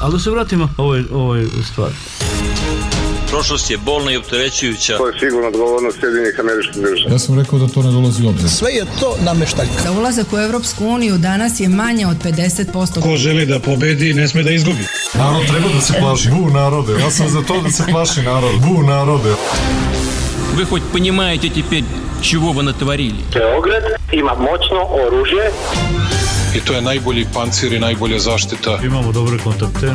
Ali da se vratimo ovoj stvari. Prošlost je bolna i opterećujuća. To je sigurno odgovornost Sjedinjenih Američkih Država. Ja sam rekao da to ne dolazi u obzir. Sve je to nameštaljka. Za ulazak u Evropsku uniju danas je manje od 50%. Ko želi da pobedi, ne sme da izgubi. Narod treba da se plaši. Bu narode. Ja sam za to da se plaši narod. Bu narode. Вы хоть понимаете теперь, чего вы натворили? Beograd ima moćno oružje. I to je najbolji pancir i najbolja zaštita. Imamo dobre kontakte.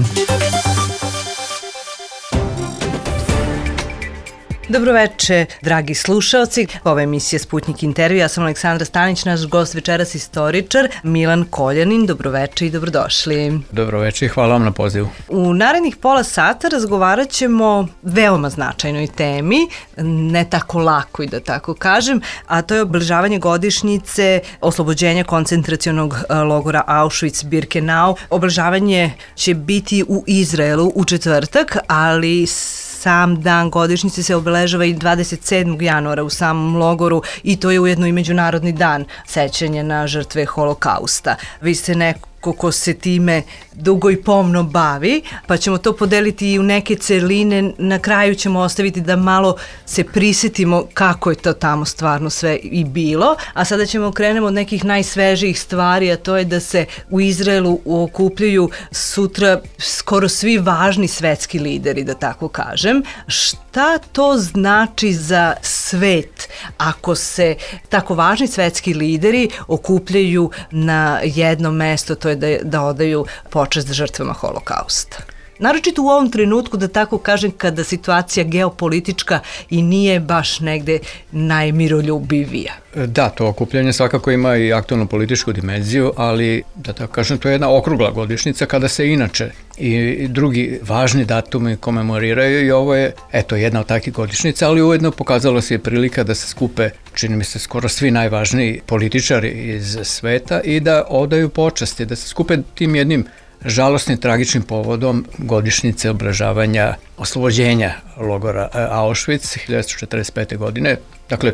Dobroveče, dragi slušaoci. Ova emisija je Sputnik intervju. Ja sam Aleksandra Stanić, naš gost večeras istoričar Milan Koljanin. Dobroveče i dobrodošli. Dobroveče i hvala vam na pozivu. U narednih pola sata razgovarat ćemo veoma značajnoj temi, ne tako lako i da tako kažem, a to je obeležavanje godišnjice oslobođenja koncentracionog logora Auschwitz-Birkenau. Obeležavanje će biti u Izraelu u četvrtak, ali sam dan godišnjice se obeležava i 27. januara u samom logoru i to je ujedno i Međunarodni dan sećanja na žrtve Holokausta. Vi ste neko ko se time dugo i pomno bavi, pa ćemo to podeliti i u neke celine. Na kraju ćemo ostaviti da malo se prisetimo kako je to tamo stvarno sve i bilo, a sada ćemo krenemo od nekih najsvežijih stvari, a to je da se u Izraelu okupljaju sutra skoro svi važni svetski lideri, da tako kažem. Šta to znači za svet ako se tako važni svetski lideri okupljaju na jedno mesto, to je da odaju počast žrtvama Holokausta? Naročito u ovom trenutku, da tako kažem, kada situacija geopolitička i nije baš negde najmiroljubivija. Da, to okupljanje svakako ima i aktualnu političku dimenziju, ali da tako kažem, to je jedna okrugla godišnjica kada se inače i drugi važni datumi komemoriraju i ovo je, jedna od takvih godišnjica, ali ujedno pokazalo se i prilika da se skupe, čini mi se, skoro svi najvažniji političari iz sveta i da odaju počasti, da se skupe tim jednim žalosnim, tragičnim povodom godišnjice obeležavanja oslobođenja logora Auschwitz 1945. godine. Dakle,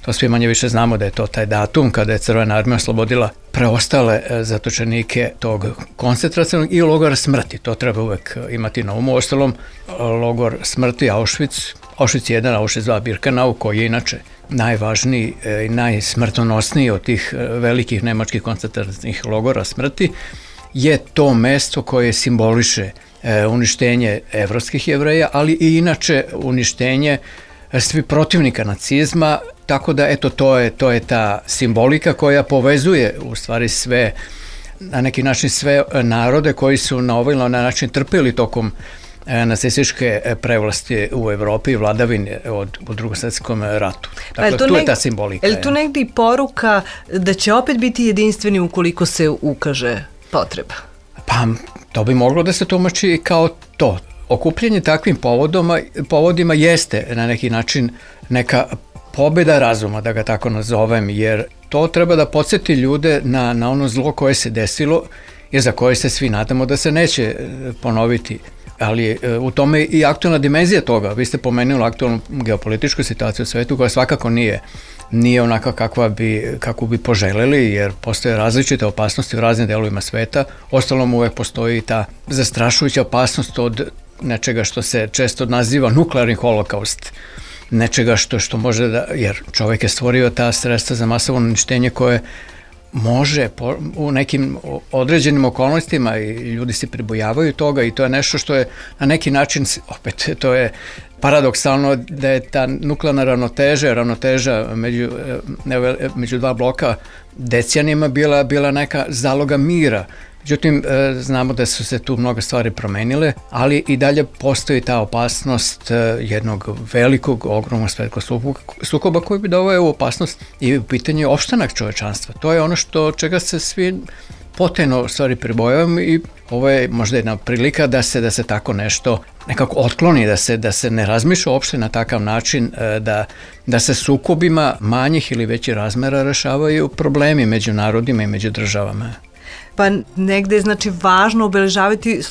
to svi manje više znamo da je to taj datum kada je Crvena armija oslobodila preostale zatočenike tog koncentracionog i logora smrti. To treba uvek imati na umu. Ostalom, logor smrti Auschwitz 1, Auschwitz 2, Birkenau, koji je inače najvažniji i najsmrtonosniji od tih velikih nemačkih koncentracionih logora smrti, je to mesto koje simboliše uništenje evropskih Jevreja, ali i inače uništenje svih protivnika nacizma, tako da to je ta simbolika koja povezuje u stvari sve, na neki način sve narode koji su na ovaj način trpeli tokom nacističke prevlasti u Evropi i vladavine u Drugom svjetskom ratu. Dakle, tu je ta simbolika. Je li tu negdje i poruka da će opet biti jedinstveni ukoliko se ukaže potreba? Pa, to bi moglo da se tumači kao to. Okupljanje takvim povodima jeste na neki način neka pobjeda razuma, da ga tako nazovem, jer to treba da podsjeti ljude na ono zlo koje se desilo i za koje se svi nadamo da se neće ponoviti. Ali u tome i aktualna dimenzija toga. Vi ste pomenuli aktualnu geopolitičku situaciju u svetu koja svakako nije onaka kakvu bi poželjeli, jer postoje različite opasnosti u raznim delovima sveta. Ostalom uvek postoji ta zastrašujuća opasnost od nečega što se često naziva nuklearni holokaust. Nečega što može da, jer čovjek je stvorio ta sredstva za masovno uništenje koje može u nekim određenim okolnostima i ljudi se pribojavaju toga i to je nešto što je na neki način, opet to je paradoksalno da je ta nuklearna ravnoteža među dva bloka decenijama bila neka zaloga mira. Međutim, znamo da su se tu mnogo stvari promenile, ali i dalje postoji ta opasnost jednog velikog, ogromnog svetskog sukoba koji bi doveo u opasnost i u pitanje opstanak čovečanstva. To je ono čega se svi potajno stvari pribojavamo i ovo je možda jedna prilika da se tako nešto nekako otkloni, da se ne razmišlja uopšte na takav način, da se sukobima manjih ili većih razmera rešavaju problemi među narodima i među državama. Pa negde je znači važno obeležavati,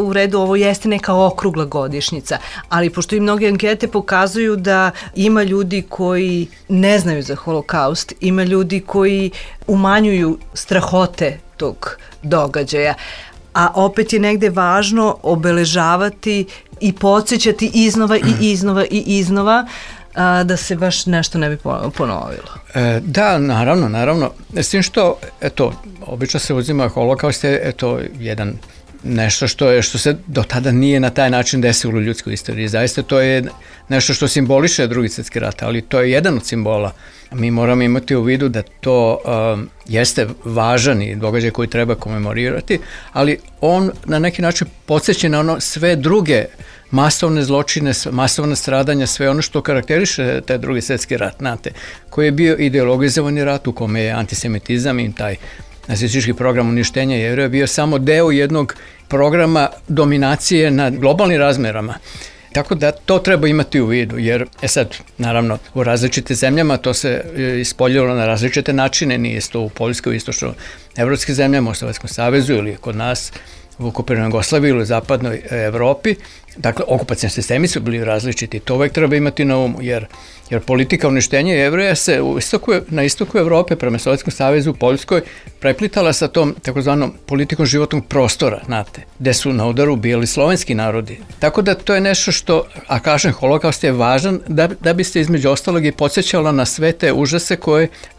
u redu, ovo jeste neka okrugla godišnjica, ali pošto i mnoge ankete pokazuju da ima ljudi koji ne znaju za Holokaust, ima ljudi koji umanjuju strahote tog događaja, a opet je negde važno obeležavati i podsjećati iznova i iznova i iznova da se baš nešto ne bi ponovilo. Da, naravno. S tim što, obično se uzima holokaust, jedan nešto što se do tada nije na taj način desilo u ljudskoj istoriji. Zaista to je nešto što simboliše Drugi svjetski rat, ali to je jedan od simbola. Mi moramo imati u vidu da to jeste važan i događaj koji treba komemorirati, ali on na neki način podsjeća na ono sve druge masovne zločine, masovne stradanja, sve ono što karakteriše taj Drugi svjetski rat, znate, koji je bio ideologizovani rat u kome je antisemitizam i taj nacistički program uništenja Jevreja bio samo deo jednog programa dominacije na globalnim razmerama. Tako da to treba imati u vidu, jer sad, naravno, u različitim zemljama to se ispoljilo na različite načine, nije to u Poljskoj, istočno evropskim zemljama, u Sovjetskom savezu ili kod nas u okupiranoj Jugoslaviji ili u zapadnoj Evropi. Dakle, okupacioni sistemi su bili različiti, to uvek treba imati na umu, jer politika uništenja Jevreja se na istoku Evrope prema Sovjetskom savezu u Poljskoj preplitala sa tom takozvanom politikom životnog prostora, znate, gde su na udaru bili slovenski narodi. Tako da to je nešto što, a kažem, holokaust je važan da bi se između ostalog i podsjećalo na sve te užase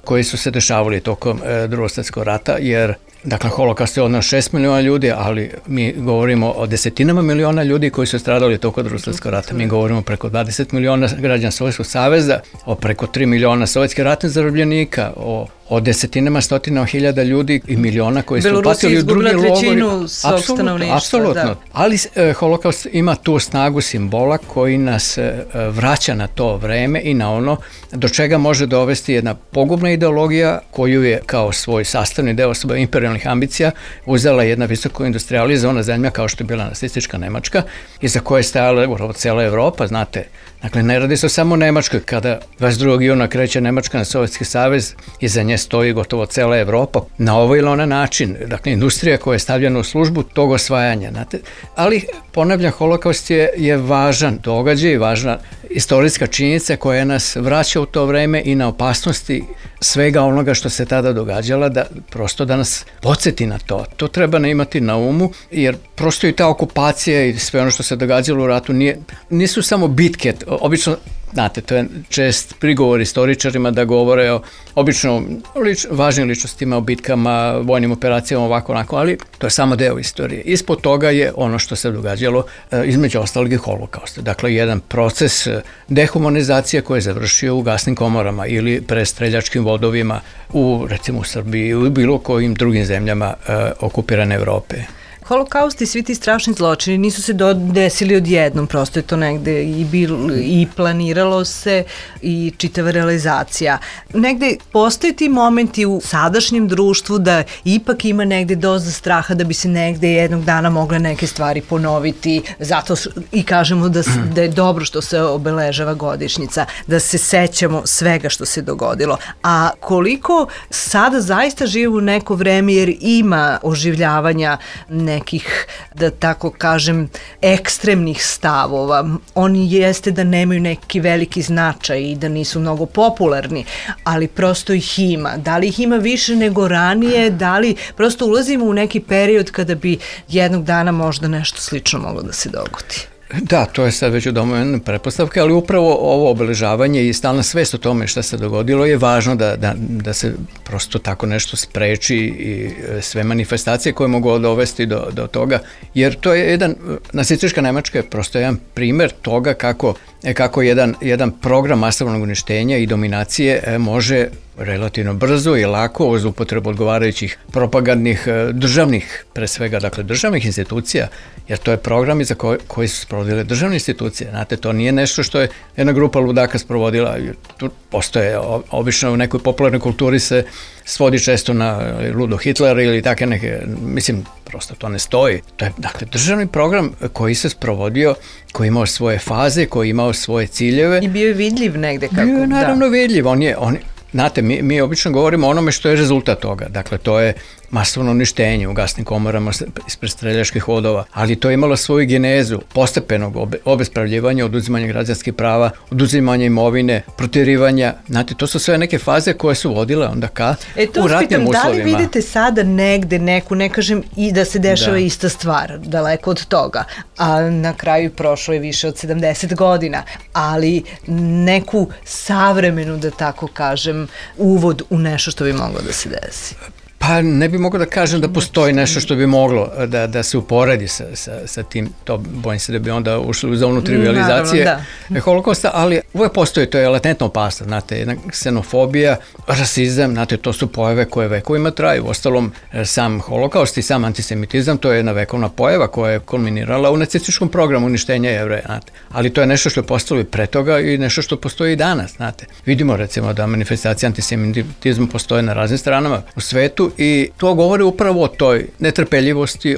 koji su se dešavali tokom Drugog svjetskog rata, jer dakle, holokaust je odneo 6 miliona ljudi, ali mi govorimo o desetinama miliona ljudi koji su stradali tokom Drugog svjetskog rata. Mi govorimo preko 20 miliona građana Sovjetskog saveza, o preko 3 miliona sovjetskih ratnih zarobljenika, o desetinama, stotinama hiljada ljudi i miliona koji su patili u drugi logori. Belorusija izgubila trećinu svog stanovništva. Apsolutno. Ali holokaust ima tu snagu simbola koji nas vraća na to vreme i na ono do čega može dovesti jedna pogubna ideologija koju je kao svoj sastavni deo svojih imperijalnih ambicija uzela jedna visoko industrializovana zemlja kao što je bila nacistička Nemačka i za koje je stajala cijela Evropa, znate. Dakle, ne radi se samo o Nemačkoj. Kada 22. juna kreće Nemačka na Sovjetski savez, iza nje stoji gotovo cela Evropa na ovaj ili onaj način. Dakle, industrija koja je stavljena u službu tog osvajanja. Znate? Ali, ponavljam, holokaust je važan događaj, važna istorijska činjenica koja nas vraća u to vreme i na opasnosti svega onoga što se tada događala, prosto da nas podsjeti na to. To treba imati na umu, jer prosto i ta okupacija i sve ono što se događalo u ratu nisu samo bitke. Obično, znate, to je čest prigovor istoričarima da govore o obično važnim ličnostima, o bitkama, vojnim operacijama, ovako, onako, ali to je samo deo istorije. Ispod toga je ono što se događalo između ostalog i holokausta. Dakle, jedan proces dehumanizacije koji je završio u gasnim komorama ili prestreljačkim vodovima recimo u Srbiji ili u bilo kojim drugim zemljama okupirane Evrope. Holokaust i svi ti strašni zločini nisu se desili odjednom, prosto je to negde i planiralo se i čitava realizacija. Negde postoje ti momenti u sadašnjem društvu da ipak ima negde doza straha da bi se negde jednog dana mogle neke stvari ponoviti, zato i kažemo da je dobro što se obeležava godišnjica, da se sećamo svega što se dogodilo. A koliko sada zaista žive u neko vreme jer ima oživljavanja nekih, da tako kažem, ekstremnih stavova. Oni jeste da nemaju neki veliki značaj i da nisu mnogo popularni, ali prosto ih ima. Da li ih ima više nego ranije, da li prosto ulazimo u neki period kada bi jednog dana možda nešto slično moglo da se dogodi? Da, to je sad već u domenu pretpostavke, ali upravo ovo obeležavanje i stalna svest o tome šta se dogodilo je važno da se prosto tako nešto spreči i sve manifestacije koje mogu dovesti do toga, jer to je nacistička Nemačka je prosto jedan primer toga kako jedan program masovnog uništenja i dominacije može relativno brzo i lako uz upotrebu odgovarajućih propagandnih državnih, pre svega, dakle državnih institucija, jer to je program za koji su sprovodile državne institucije. Znate, to nije nešto što je jedna grupa ludaka sprovodila. Tu postoje, obično u nekoj popularnoj kulturi se svodi često na ludo Hitlera ili take neke, mislim, prosto to ne stoji. To je, dakle, državni program koji se sprovodio, koji imao svoje faze, koji imao svoje ciljeve. I bio je vidljiv negde kako. Bio je naravno vidljiv. znate, mi obično govorimo o onome što je rezultat toga. Dakle, to je masovno uništenje u gasnim komorama ispred streljačkih vodova, ali to je imalo svoju genezu postepenog obespravljivanja, oduzimanja građanskih prava, oduzimanja imovine, proterivanja. Znate, to su sve neke faze koje su vodile onda ka u ratnim uslovima. Da li vidite sada negde neku, ne kažem i da se dešava ista stvar, daleko od toga, a na kraju prošlo je više od 70 godina, ali neku savremenu, da tako kažem, uvod u nešto što bi moglo da se desi? Pa ne bi mogao da kažem da postoji nešto što bi moglo da se uporedi sa tim, to bojim se da bi onda ušli u zonu trivializacije holokausta, ali uvek postoji, to je latentna opasnost, znate, jedna ksenofobija, rasizam, znate, to su pojave koje vekovima traju. Uostalom, sam holokaust i sam antisemitizam, to je jedna vekovna pojava koja je kulminirala u nacističkom programu uništenja Jevreja, znate. Ali to je nešto što je postalo i pre toga i nešto što postoji i danas, znate. Vidimo recimo da manifestacije antisemitizma postoje na raznim stranama u svetu i to govori upravo o toj netrpeljivosti,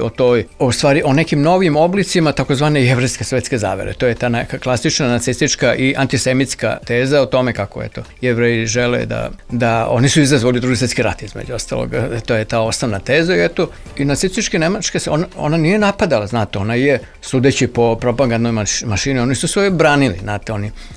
o nekim novim oblicima takozvane jevrejske svetske zavere. To je ta neka klasična nacistička i antisemitska teza o tome kako Jevreji žele da oni su izazvali Drugi svjetski rat, između ostalog. To je ta osnovna teza i nacističke Nemačke ona nije napadala, znate, ona je, sudeći po propagandnoj mašini, oni su svoje branili, znate,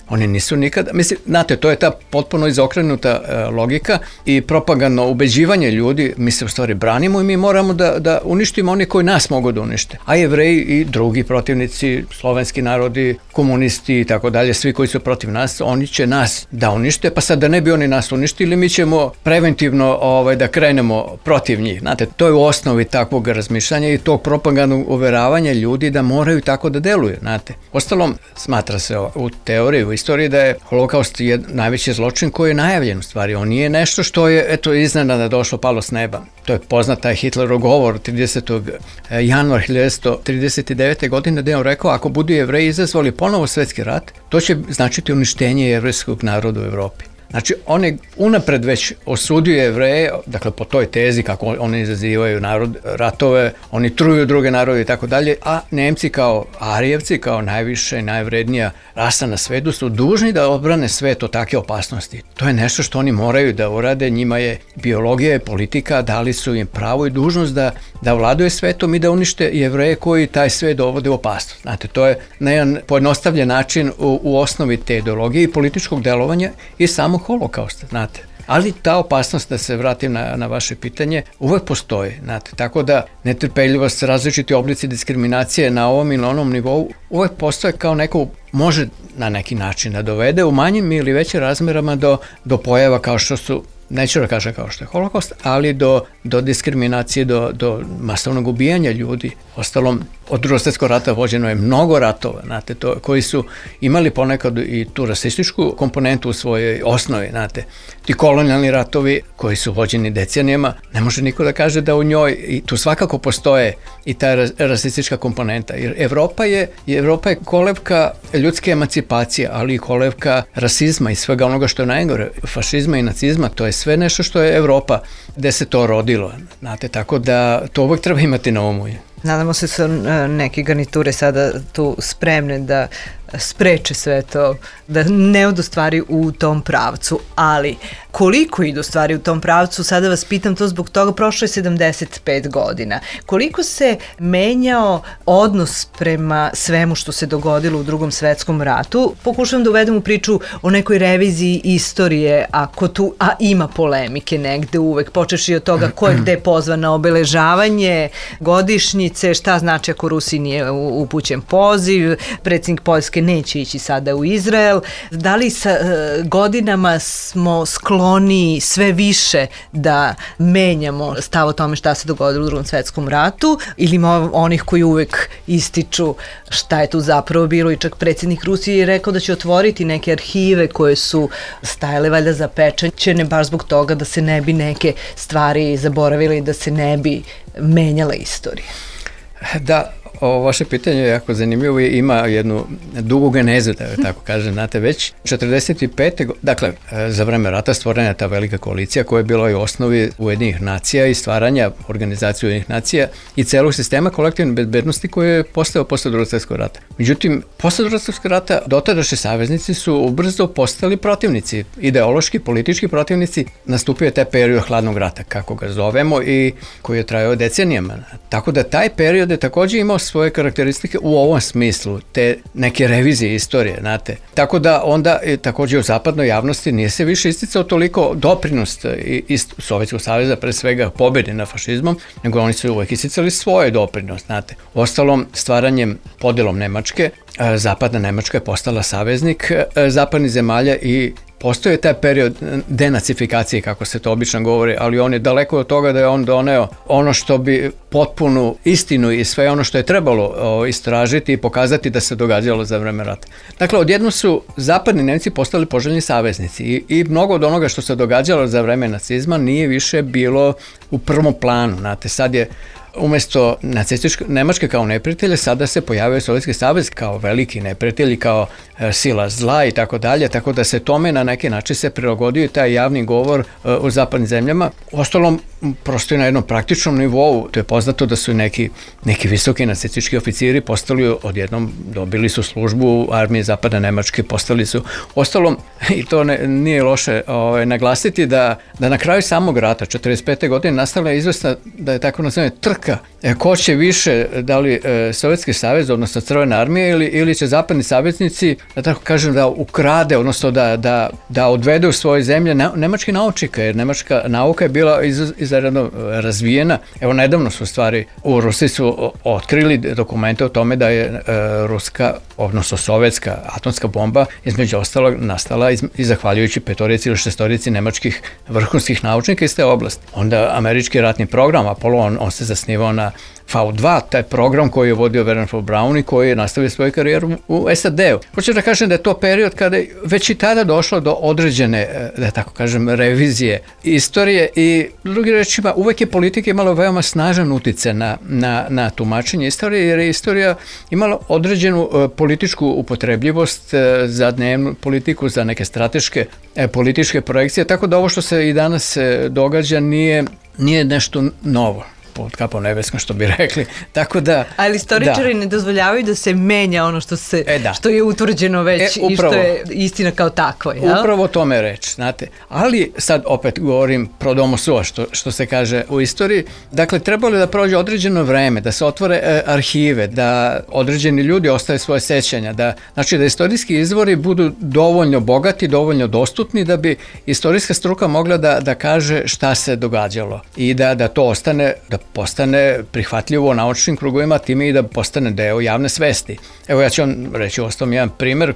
oni nisu nikada, mislim, znate, to je ta potpuno izokrenuta logika i propagandno ubeđivanje ljudi, mi se u stvari branimo i mi moramo da uništimo oni koji nas mogu da unište. A Jevreji i drugi protivnici, slovenski narodi, komunisti i tako dalje, svi koji su protiv nas, oni će nas da unište, pa sad da ne bi oni nas uništili, mi ćemo preventivno da krenemo protiv njih. Znate, to je u osnovi takvog razmišljanja i tog propagandnog uveravanja ljudi da moraju tako da deluju, znate. Ostalom, smatra se u teoriji, u istoriji da je holokaust najveći zločin koji je najavljen u stvari. On nije nešto što je, iznenada došlo, palo s neba. To je poznat taj Hitlerov govor 30. januara 1939. godine gde je on rekao, ako budu Jevreji izazvali ponovo svetski rat, to će značiti uništenje jevrejskog naroda u Evropi. Znači, on je unapred već osudio Jevreje, dakle po toj tezi kako oni izazivaju ratove, oni truju druge narode i tako dalje, a Nemci kao Arijevci, kao najviše i najvrednija rasa na svetu su dužni da odbrane svet od takve opasnosti. To je nešto što oni moraju da urade, njima je biologija i politika, dali su im pravo i dužnost da vladaju svetom i da unište Jevreje koji taj svet dovode u opasnost. Znate, to je na jedan pojednostavljen način u osnovi te ideologije i političkog delovanja i samo holokausta, znate. Ali ta opasnost, da se vratim na vaše pitanje, uvek postoji, znate. Tako da netrpeljivost, različiti oblici diskriminacije na ovom ili onom nivou uvek postoje kao neko, može na neki način da dovede u manjim ili većim razmerama do pojava kao što su, neću da kažem kao što je holokaust, ali do diskriminacije, do masovnog ubijanja ljudi. Ostalom, od Drugog svjetskog rata vođeno je mnogo ratova, znate, koji su imali ponekad i tu rasističku komponentu u svojoj osnovi, znate. Ti kolonijalni ratovi koji su vođeni decenijama, ne može niko da kaže da u njoj, i tu svakako postoje i ta rasistička komponenta, jer Evropa je kolevka ljudske emancipacije, ali i kolevka rasizma i svega onoga što je najgore, fašizma i nacizma, to je sve nešto što je Evropa, gde se to rodilo, znate, tako da to uvek treba imati na umu. Nadamo se su neke garniture sada tu spremne da spreče sve to, da ne odu stvari u tom pravcu, ali koliko idu stvari u tom pravcu, sada vas pitam to zbog toga, prošlo je 75 godina. Koliko se menjao odnos prema svemu što se dogodilo u Drugom svetskom ratu? Pokušavam da uvedem u priču o nekoj reviziji istorije, a ima polemike negde uvek, počevši od toga ko je gde pozvan na obeležavanje godišnjice, šta znači ako Rusiji nije upućen poziv, predsjednik Poljske neće ići sada u Izrael. Da li sa godinama smo skloni sve više da menjamo stav o tome šta se dogodilo u Drugom svetskom ratu, ili ima onih koji uvek ističu šta je tu zapravo bilo, i čak predsjednik Rusije je rekao da će otvoriti neke arhive koje su stajale valjda zapečaćene baš zbog toga da se ne bi neke stvari zaboravile i da se ne bi menjala istorija. Da, ovo vaše pitanje je jako zanimljivo i ima jednu dugu genezu, da tako kažem, znate, već 45. Dakle, za vreme rata stvorena je ta velika koalicija koja je bila i u osnovi Ujedinjenih nacija i stvaranja organizacije Ujedinjenih nacija i celog sistema kolektivne bezbednosti koji je postao posle Drugog svjetskog rata. Međutim, posle Drugog svjetskog rata dotadašnji saveznici su ubrzo postali protivnici, ideološki, politički protivnici. Nastupio je taj period hladnog rata, kako ga zovemo, i koji je trajao decenijama. Tako da taj period je takođe imao svoje karakteristike u ovom smislu, te neke revizije istorije, znate. Tako da onda takođe u zapadnoj javnosti nije se više isticao toliko doprinost iz Sovjetskog saveza, pre svega pobedi na fašizmom, nego oni su uvek isticali svoje doprinost, znate. Ostalom, stvaranjem, podelom Nemačke, zapadna Nemačka je postala saveznik zapadnih zemalja i postoje taj period denacifikacije, kako se to obično govori, ali on je daleko od toga da je on doneo ono što bi potpunu istinu i sve ono što je trebalo istražiti i pokazati da se događalo za vreme rata. Dakle, odjednom su zapadni Nemci postali poželjni saveznici i mnogo od onoga što se događalo za vreme nacizma nije više bilo u prvom planu. Znate, sad je umesto Nemačke kao neprijatelje, sada se pojavio Sovjetski savez kao veliki neprijatelji, kao sila zla i tako dalje, tako da se tome na neki način se prilagodio i taj javni govor u zapadnim zemljama. Ostalom, prosto i na jednom praktičnom nivou, to je poznato da su neki visoki nacistički oficiri postali odjednom, dobili su službu u armiji zapadne Nemačke, postali su. Ostalom, i to nije loše naglasiti da na kraju samog rata, 45. godine, nastala je izvesna, da je tako nazvane, trka. Ko će više, da li Sovjetski savez, odnosno Crvena armija, ili će zapadni saveznici, da tako kažem, da ukrade, odnosno da odvede u svoje zemlje nemački naučnika, jer nemačka nauka je bila izredno razvijena. Evo, nedavno su stvari u Rusiji su otkrili dokumente o tome da je ruska, odnosno sovjetska atomska bomba između ostalog nastala i zahvaljujući petorici ili šestorici nemačkih vrhunskih naučnika iz te oblasti. Onda američki ratni program Apollo, on se zasnivao na V2, taj program koji je vodio Wernher von Braun i koji je nastavio svoju karijeru u SAD-u. Hoću da kažem da je to period kada je već i tada došlo do određene, da tako kažem, revizije istorije i drugim rečima uvek je politika imala veoma snažan utice na tumačenje istorije, jer je istorija imala određenu političku upotrebljivost za dnevnu politiku, za neke strateške političke projekcije, tako da ovo što se i danas događa nije nešto novo. Pod kapom nebeskom, što bi rekli. Tako da... Ali istoričari ne dozvoljavaju da se menja ono što je utvrđeno već i što je istina kao takva. Ja? Upravo o tome reč, znate. Ali sad opet govorim pro domo sua, što se kaže u istoriji. Dakle, trebalo je da prođe određeno vreme, da se otvore arhive, da određeni ljudi ostave svoje sećanja, da istorijski izvori budu dovoljno bogati, dovoljno dostupni da bi istorijska struka mogla da kaže šta se događalo i da to postane prihvatljivo u naučnim krugovima, time i da postane deo javne svesti. Evo, ja ću vam reći ostalom jedan primer,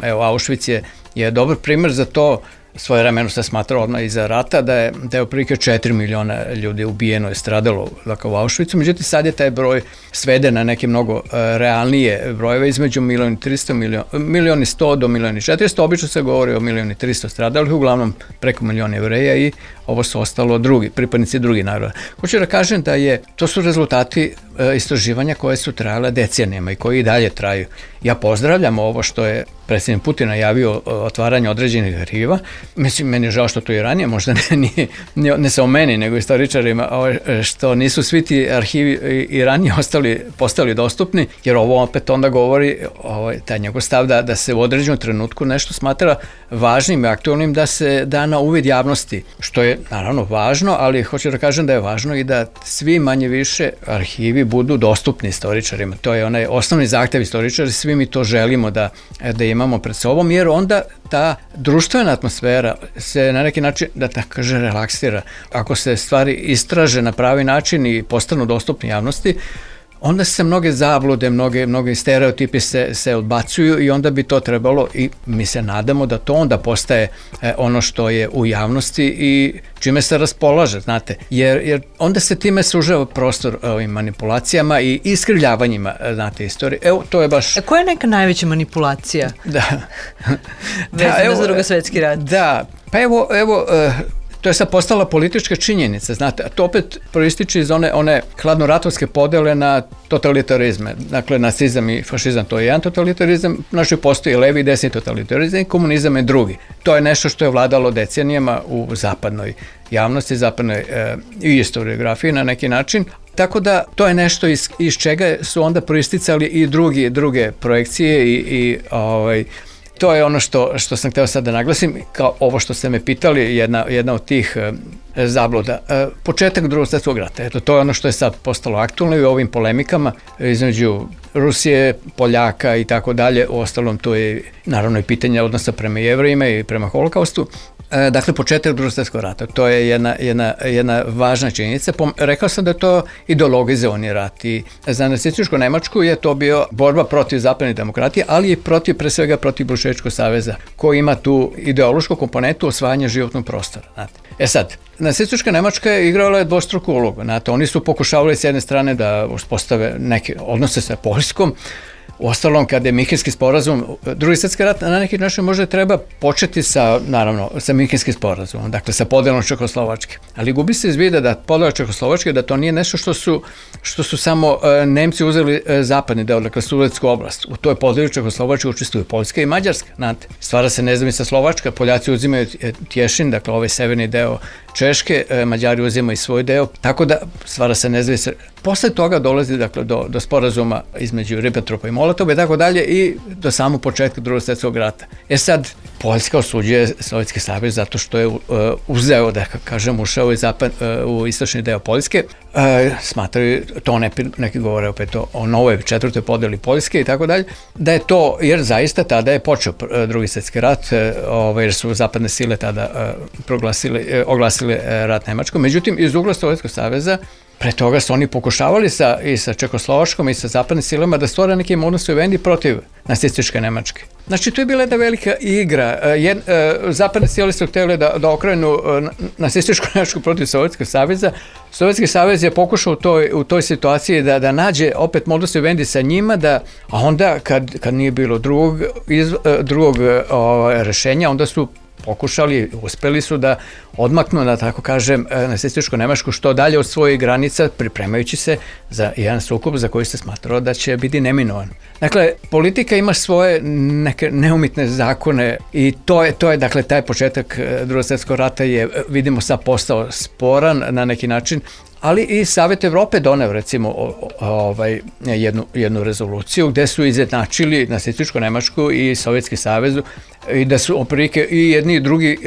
Auschwitz je dobar primer za to. Svoje vremeno se smatrao odmah iza rata da je otprilike 4 miliona ljudi ubijeno i stradalo u Auschwitzu, međutim sad je taj broj sveden na neke mnogo realnije brojeve, između 1.100.000 do 1.400.000, obično se govori o 1.300.000 stradalih, uglavnom preko 1.000.000 Jevreja i ovo su ostalo pripadnici drugih naroda. Hoću da kažem da to su rezultati istraživanja koje su trajale decenijama i koji i dalje traju. Ja pozdravljam ovo što je predsjednik Putin najavio otvaranje određenih arhiva. Mislim, meni je žao što to i ranije, možda ne samo meni, nego istoričarima, što nisu svi ti arhivi i ranije postali dostupni, jer ovo opet onda govori taj njegov stav da se u određenom trenutku nešto smatra važnim i aktualnim da se da na uvid javnosti, što je naravno važno, ali hoću da kažem da je važno i da svi manje više arhivi budu dostupni istoričarima. To je onaj osnovni zahtev istoričara, svi mi to želimo da imamo pred sobom, jer onda ta društvena atmosfera se na neki način, da tako kaže, relaksira. Ako se stvari istraže na pravi način i postanu dostupni javnosti, onda se mnoge zablude, mnoge stereotipi se odbacuju i onda bi to trebalo, i mi se nadamo da to onda postaje ono što je u javnosti i čime se raspolaže, znate, jer onda se time sužava prostor ovim manipulacijama i iskrivljavanjima, znate, istorije. Evo, to je baš... Koja je neka najveća manipulacija? Vezana za Drugi svjetski rat? Da, pa evo, to je sad postala politička činjenica, znate, a to opet proističe iz one hladnoratovske podele na totalitarizme, dakle nacizam i fašizam, to je jedan totalitarizam, znači postoji levi i desni totalitarizam i komunizam je drugi. To je nešto što je vladalo decenijama u zapadnoj javnosti, zapadnoj i historiografiji na neki način. Tako da to je nešto iz čega su onda proisticali i druge projekcije i to je ono što sam hteo sad da naglasim, kao ovo što ste me pitali, jedna od tih zabluda. Početak Drugog svjetskog rata, eto, to je ono što je sad postalo aktualno i u ovim polemikama između Rusije, Poljaka i tako dalje. U ostalom, to je naravno i pitanje odnosa prema Jevrejima i prema Holokaustu. Dakle, početak Drugog svjetskog rata, to je jedna važna činjenica. Rekao sam da je to ideologizovani rat i za nacističku Nemačku je to bio borba protiv zapadne demokratije, ali i pre svega protiv Boljševičkog saveza, koji ima tu ideološku komponentu osvajanja životnog prostora. Znate. Sad, nacistička Nemačka je igrala dvostruku ulogu. Znate, oni su pokušavali s jedne strane da uspostave neke odnose sa Poljskom. Uostalom, kada je Minhenski sporazum, Drugi svjetski rat na neki način možda treba početi sa Minhenskim sporazumom, dakle sa podelom Čehoslovačke. Ali gubi se iz vida da podela Čehoslovačke, da to nije nešto što su samo Nemci uzeli zapadni deo, dakle Sudetsku oblast. U toj podeli Čehoslovačke učestvuju Poljska i Mađarska. Znate, stvara se nezavisna Slovačka, Poljaci uzimaju Tješin, dakle ovaj severni deo Češke, Mađari uzimaju svoj deo, tako da stvara se nezavisna. Posle toga dolazi dakle, do sporazuma između Ribbentropa i Molotova i tako dalje i do samog početka Drugog svjetskog rata. Sad, Poljska osuđuje Sovjetski savez zato što je uzeo, da kažem, ušao u istočni deo Poljske. Smatraju, to neki govore opet o novoj četvrtoj podeli Poljske i tako dalje, da je to, jer zaista tada je počeo Drugi svjetski rat, jer su zapadne sile tada oglasile rat Nemačkom. Međutim, iz ugla Sovjetskog saveza pre toga su oni pokušavali i sa Čehoslovačkom i sa zapadnim silama da stvore nekim odnosu vendi protiv nacističke Nemačke. Znači, to je bila jedna velika igra. Zapadne sile su htjeli da okrenu nacističku Nemačku protiv Sovjetskog saveza. Sovjetski savez je pokušao u toj situaciji da nađe opet modus vivendi sa njima, a onda kad nije bilo drugog rešenja, onda su pokušali, uspeli su da odmaknu, da tako kažem, nacističku Nemačku što dalje od svojih granica, pripremajući se za jedan sukob za koji se smatrao da će biti neminovan. Dakle, politika ima svoje neke neumitne zakone i to je dakle, taj početak Drugog svjetskog rata je, vidimo, sad postao sporan na neki način, ali i Savjet Evrope doneo recimo jednu rezoluciju gde su izjednačili nacističku Nemačku i Sovjetski savez i da su oprilike i jedni i drugi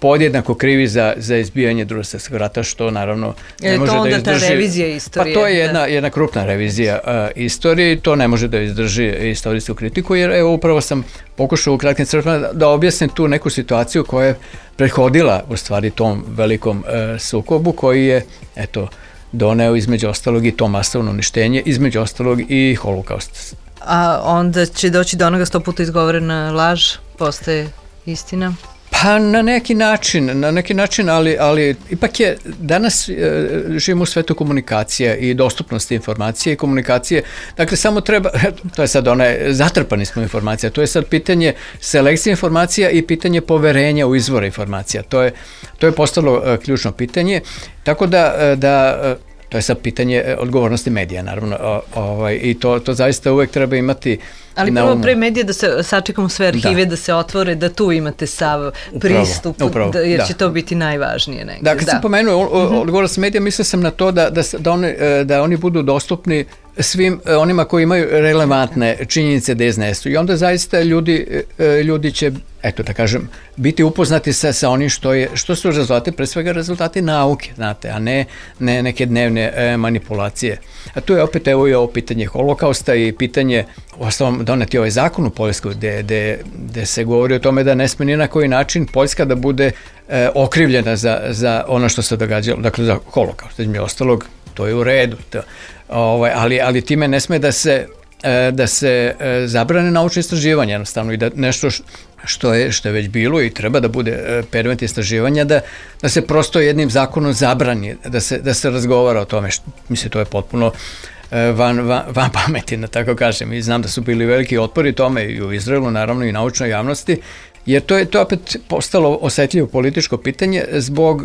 podjednako krivi za izbijanje Drugog svjetskog rata, što naravno ne može da izdrži. To onda ta revizija istorije. Pa to je jedna krupna revizija istorije i to ne može da izdrži istorijsku kritiku, jer evo upravo sam pokušao u kratkim crtama da objasnim tu neku situaciju koja je prethodila u stvari tom velikom sukobu koji je, eto, doneo između ostalog i to masovno uništenje, između ostalog i Holokaust. A onda će doći do onoga 100 puta izgovorena laž, postaje istina? Pa na neki način, ali ipak je, danas živimo u svetu komunikacije i dostupnosti informacije i komunikacije, dakle samo treba, to je sad zatrpani smo informacija, to je sad pitanje selekcije informacija i pitanje poverenja u izvore informacija, to je postalo ključno pitanje, tako da to je sad pitanje odgovornosti medija, naravno, i to zaista uvek treba imati. Ali prvo pre medija da se sačekamo sve arhive, da se otvore, da tu imate sav pristup, jer će to biti najvažnije negdje. Da, kad sam pomenuo odgovornost medija, mislio sam na to da oni budu dostupni svim onima koji imaju relevantne činjenice da iznesu. I onda zaista ljudi će, eto da kažem, biti upoznati sa onim što su rezultati, pre svega rezultati nauke, znate, a ne neke dnevne manipulacije. A tu je opet evo i ovo pitanje Holokausta i pitanje, uostalom doneti ovaj zakon u Poljskoj gde se govori o tome da ne sme ni na koji način Poljska da bude okrivljena za ono što se događalo, dakle za Holokaust, između ostalog, to je u redu, ali time ne sme da se zabrane naučne istraživanja jednostavno i da nešto što je već bilo i treba da bude predmet istraživanja, da se prosto jednim zakonom zabrani, da se razgovara o tome. Mislim, to je potpuno van pameti, da tako kažem. I znam da su bili veliki otpori tome i u Izraelu, naravno i naučnoj javnosti, jer to je opet postalo osetljivo političko pitanje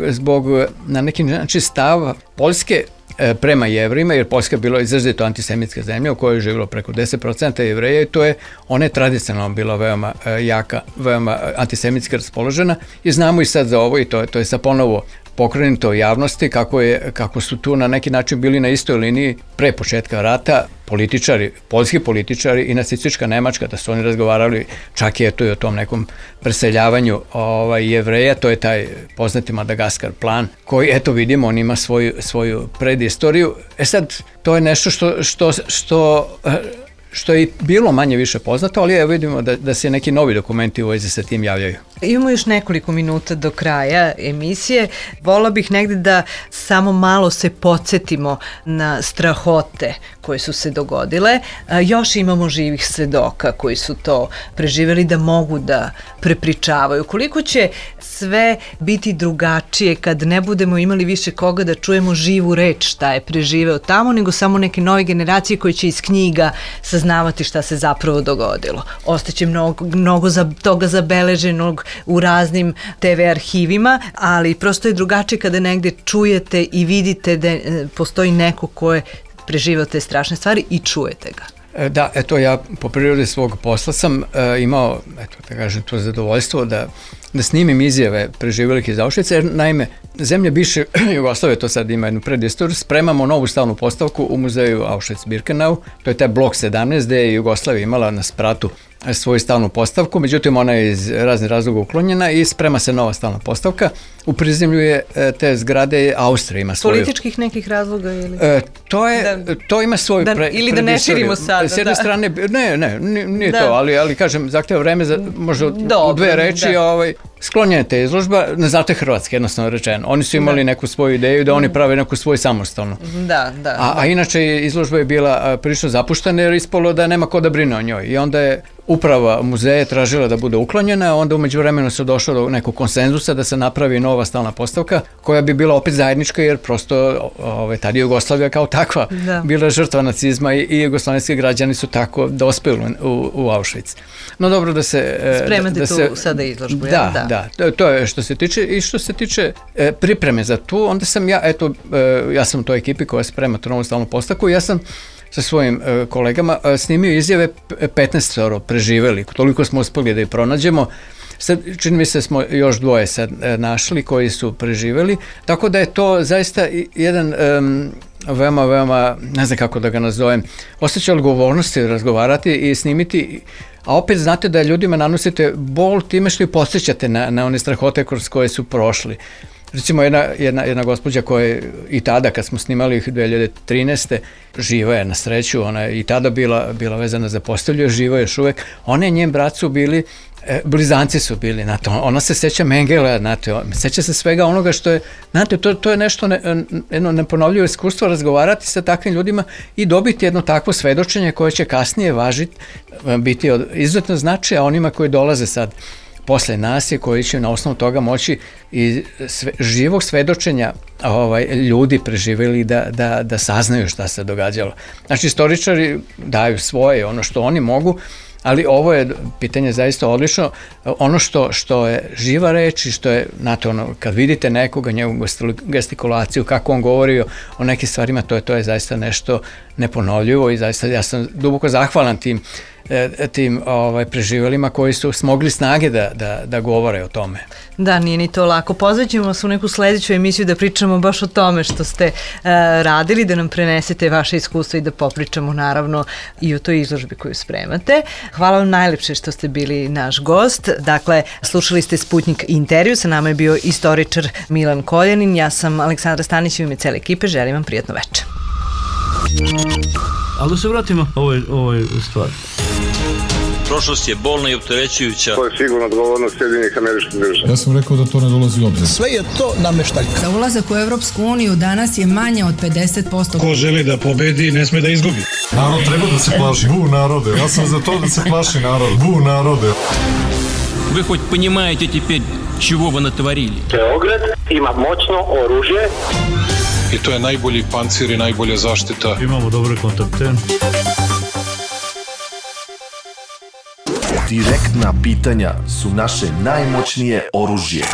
zbog na neki način stava Poljske prema Jevrima, jer Poljska je bila izrazito antisemitska zemlja u kojoj je živjelo preko 10% Jevreja i ona je tradicionalno bila veoma jaka, veoma antisemitski raspoložena i znamo i sad za ovo i to je sad ponovo pokrenuto u javnosti kako su tu na neki način bili na istoj liniji pre početka rata poljski političari i nacistička Nemačka, da su oni razgovarali čak i o tom nekom preseljavanju Jevreja, to je taj poznati Madagaskar plan, koji vidimo, on ima svoju predistoriju. Sad, to je nešto što je bilo manje više poznato, ali vidimo da se neki novi dokumenti u vezi sa tim javljaju. Imamo još nekoliko minuta do kraja emisije. Vola bih negde da samo malo se podsjetimo na strahote koje su se dogodile. Još imamo živih svedoka koji su to preživjeli da mogu da prepričavaju. Koliko će sve biti drugačije kad ne budemo imali više koga da čujemo živu reč šta je preživeo tamo, nego samo neke nove generacije koje će iz knjiga saznavati šta se zapravo dogodilo. Ostaće mnogo toga zabeleženog u raznim TV arhivima, ali prosto je drugačije kada negde čujete i vidite da postoji neko ko je preživao te strašne stvari i čujete ga. Da, ja po prirodi svog posla sam imao, da kažem, to zadovoljstvo da snimim izjave preživjelih iz Auschwitza, jer naime, zemlje bivše Jugoslavije, to sad ima jednu predistoriju, spremamo novu stalnu postavku u muzeju Auschwitz-Birkenau, to je taj blok 17 gde je Jugoslavija imala na spratu svoju stalnu postavku, međutim ona je iz raznih razloga uklonjena i sprema se nova stalna postavka. U prizemlju je te zgrade Austrija ima svoju. Političkih nekih razloga ili? To ima svoju ili da ne širimo sada. S jedne strane, nije to, ali kažem, zahteva vreme za možda u dve reči, sklonjena te izložba, ne znate hrvatski, jednostavno rečeno. Oni su imali neku svoju ideju da oni prave neku svoju samostalnu. A inače izložba je bila prilično zapuštena jer ispalo da nema ko da brine o njoj. I onda je uprava muzeja tražila da bude uklonjena, onda umeđu vremenu se došlo do nekog konsenzusa da se napravi nova stalna postavka koja bi bila opet zajednička jer prosto tada Jugoslavija kao takva bila žrtva nacizma i jugoslovenski građani su tako dospeli u Auschwitz. No dobro da se... Spremate tu sada izložbu, Da, to je što se tiče i što se tiče pripreme za tu, onda sam ja sam u toj ekipi koja sprema tu novu stalnu postavku, ja sam sa svojim kolegama snimio izjave 15 preživeli, toliko smo uspeli da ih pronađemo. Sad, čini mi se da smo još dvoje sad našli koji su preživeli, tako da je to zaista jedan veoma, ne znam kako da ga nazovem, osjećaj odgovornosti razgovarati i snimiti, a opet znate da ljudima nanosite bol time što ih podsjećate na one strahote kroz koje su prošli. Recimo jedna gospođa koja je i tada kad smo snimali 2013. živa je na sreću, ona je i tada bila vezana za postelju, živa je još uvek, ona i njen brat su bili, blizanci su bili, znate, ona se seća Mengela, znate, seća se svega onoga što je, znate, to je nešto, jedno neponovljivo iskustvo razgovarati sa takvim ljudima i dobiti jedno takvo svedočenje koje će kasnije biti od izuzetno značaja onima koji dolaze sad posle nas je koji će na osnovu toga moći iz živog svedočenja ljudi preživjeli da saznaju šta se događalo. Znači, istoričari daju svoje, ono što oni mogu, ali ovo je pitanje zaista odlično. Ono što je živa reč i što je, znate, kad vidite nekoga, njegovu gestikulaciju, kako on govori o nekim stvarima, to je zaista nešto neponovljivo i zaista ja sam duboko zahvalan tim preživelima koji su smogli snage da govore o tome. Da, nije ni to lako. Pozvaćemo vas u neku sledeću emisiju da pričamo baš o tome što ste radili, da nam prenesete vaše iskustvo i da popričamo naravno i o toj izložbi koju spremate. Hvala vam najlepše što ste bili naš gost. Dakle, slušali ste Sputnik intervju, sa nama je bio istoričar Milan Koljanin, ja sam Aleksandra Stanić i u ime cele ekipe želim vam prijatno večer. Ali da se vratimo ovoj stvari. Prošlost je bolna i opterećujuća. To je sigurno odgovornost Sjedinjenih Američkih Država. Ja sam rekao da to ne dolazi u obzir. Sve je to nameštaljka. Za ulazak u Evropsku uniju danas je manje od 50%. Ko želi da pobedi, ne sme da izgubi. Narod treba da se plaši. Bu narode. Ja sam za to da se plaši narod. Bu narode. Вы хоть понимаете теперь, чего вы натворили? Beograd ima moćno oružje. I to je najbolji pancir i najbolja zaštita. Imamo dobre kontakte. Direktna pitanja su naše najmoćnije oružje.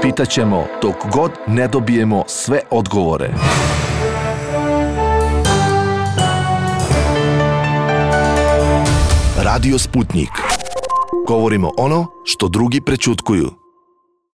Pitaćemo dok god ne dobijemo sve odgovore. Radio Sputnik. Govorimo ono što drugi prećutkuju.